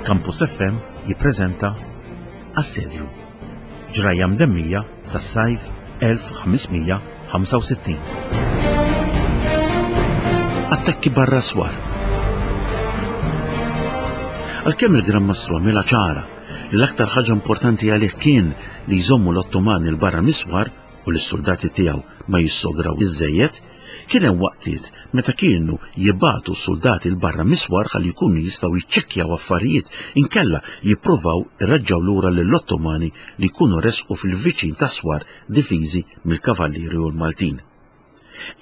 Campus FM jippreżenta Assedju. Ġrajja mdemmija tas-sajf 1565. Attakki barra swar. Għalkemm il-Gran Mastru għamilha ċara li l-aktar ħaġa importanti għalih kien li jżommu l-Ottomani 'l barra mis-swar, u li s-suldati tiegħu ma jissograw iżżejjed, kien hemm waqtiet meta kienu jibagħtu s-suldati 'l barra mis-swar ħalli jkunu jistgħu jiċċekkjaw affarijiet inkella jippruvaw ireġġgħu lura lill-Ottomani li jkunu resqu fil-viċin tas-swar difiżi mill-Kavallieri u l-Maltin.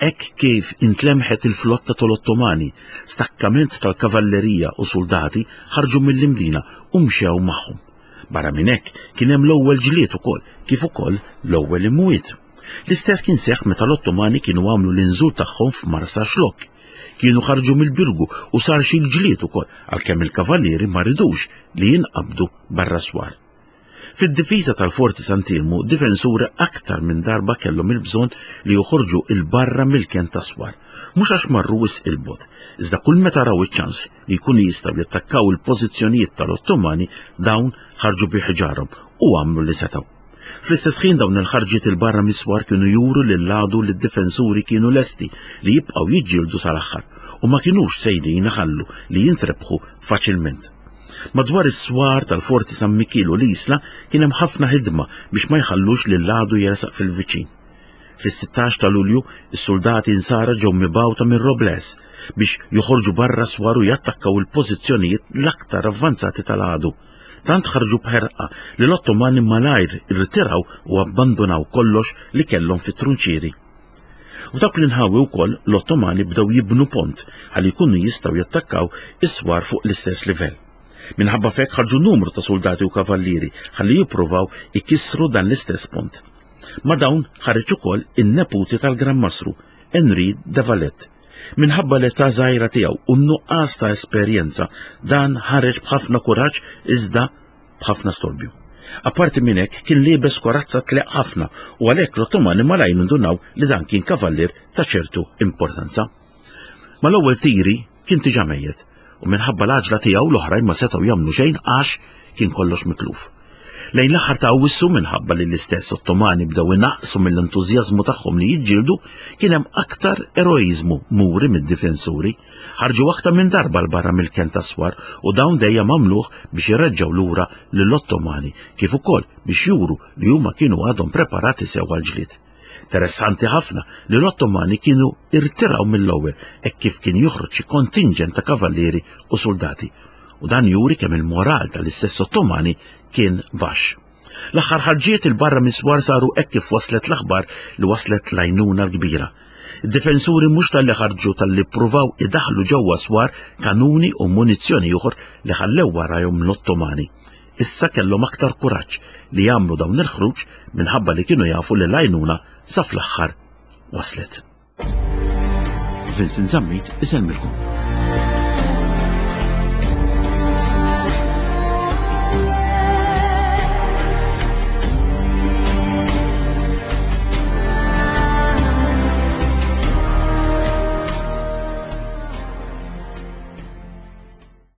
Hekk kif intlemħet il-flotta tal-Ottomani, stakkament tal-kavallerija u suldati ħarġu mill-Imdina u mxew magħhom. Barra minn hekk kien hemm l-ewwel ġlied ukoll, kif ukoll l-ewwel imwiet. L-istess kien seħħ meta l-Ottomani kienu għamlu l-inżul tagħhom f'Marsaxlokk. Kienu ħarġu mill-Birgu u sar xi ġlied ukoll għalkemm il-kavallieri ma ridux li jinqabdu barra swar. Fid-difiża tal-Forti Sant'Iermu, difensuri aktar minn darba kellhom il-bżonn li joħorġu 'l barra mill-kenn tas-swar. Mhux għax marru wisq 'il bogħod, iżda kull meta raw iċ-ċans li jkunu jistgħu jattakkaw il-pożizzjonijiet tal-Ottomani, dawn ħarġu bi ħġarhom u għamlu li setgħu. Fl-istess ħin dawn il-ħarġiet 'il barra mis-swar kienu juru lill-għadu li d-difensuri kienu lesti li jibqgħu jiġġieldu sal-aħħar u ma kinux sejrin iħallu li jintrebħu faċilment. Madwar is-swar tal-Forti San Mikiel u l-Isla kien hemm ħafna ħidma biex ma jħallux lill-għadu jersaq fil-viċin. Fis-16 ta' Lulju, is-suldati Insara ġew mibgħuta minn Robles biex joħorġu barra s-swar u jattakkaw il-pożizzjonijiet l-aktar avvanzati tal-għadu. Tant ħarġu b'ħerqa li l-Ottomani malajr irtiraw u abbandunaw kollox li kellhom fit-trunċieri. F'dawk l-inħawi wkoll l-Ottomani bdew jibnu pont ħalli jkunu jistgħu jattakkaw is-swar fuq l-istess livell. Minħabba f'hekk ħarġu numru ta' suldati u kavallieri ħalli jippruvaw ikissru dan l-istess pont. Ma' dawn ħareġ ukoll in-neputi tal-Gran Mastru, Henri de Valette. Minħabba l-età żgħira tiegħu u n-nuqqas ta' esperjenza, dan ħareġ b'ħafna kuraġġ iżda b'ħafna storbju. Apparti minn hekk kien liebes korazza tleq ħafna u għalhekk l-Ottomani malajr indunaw li dan kien kavallier ta' ċertu importanza. Mal-ewwel tiri kien diġà mejjet u minħabba l-għaġla tiegħu l-oħrajn ma setgħu jagħmlu xejn għax kien kollox mitluf. Lejn l-aħħar ta' Awwissu minħabba li l-istess Ottomani bdew inaqqsu mill-entużjażmu tagħhom li jiġġieldu, kien hemm aktar eroiżmu muri mid-difensuri. Ħarġu aktar minn darba 'l barra mill-kenn tas-swar u dawn dejjem għamluh biex ireġġgħu lura lill-Ottomani kif ukoll biex juru li huma kienu għadhom preparati sew għall-ġlied. Interessanti ħafna li l-Ottomani kienu irtiraw mill-ewwel hekk kif kien joħroġ xi kontinġent ta' kavallieri u suldati, u dan juri kemm il-moral tal-istess Ottomani kien baxx. L-aħħar ħarġiet 'il barra mis-swar saru hekk kif waslet l-aħbar li waslet l-għajnuna l-kbira. Id-difensuri mhux talli ħarġu talli ppruvaw idaħħlu ġewwa swar kanuni u munizzjoni oħor li ħallew warajhom l-Ottomani. Issa kellhom aktar kuraġġ li jagħmlu dawn il-ħruġ minħabba li kienu jafu li l-għajnuna sa fl-aħħar waslet. Vincent Zammit isellmilkom.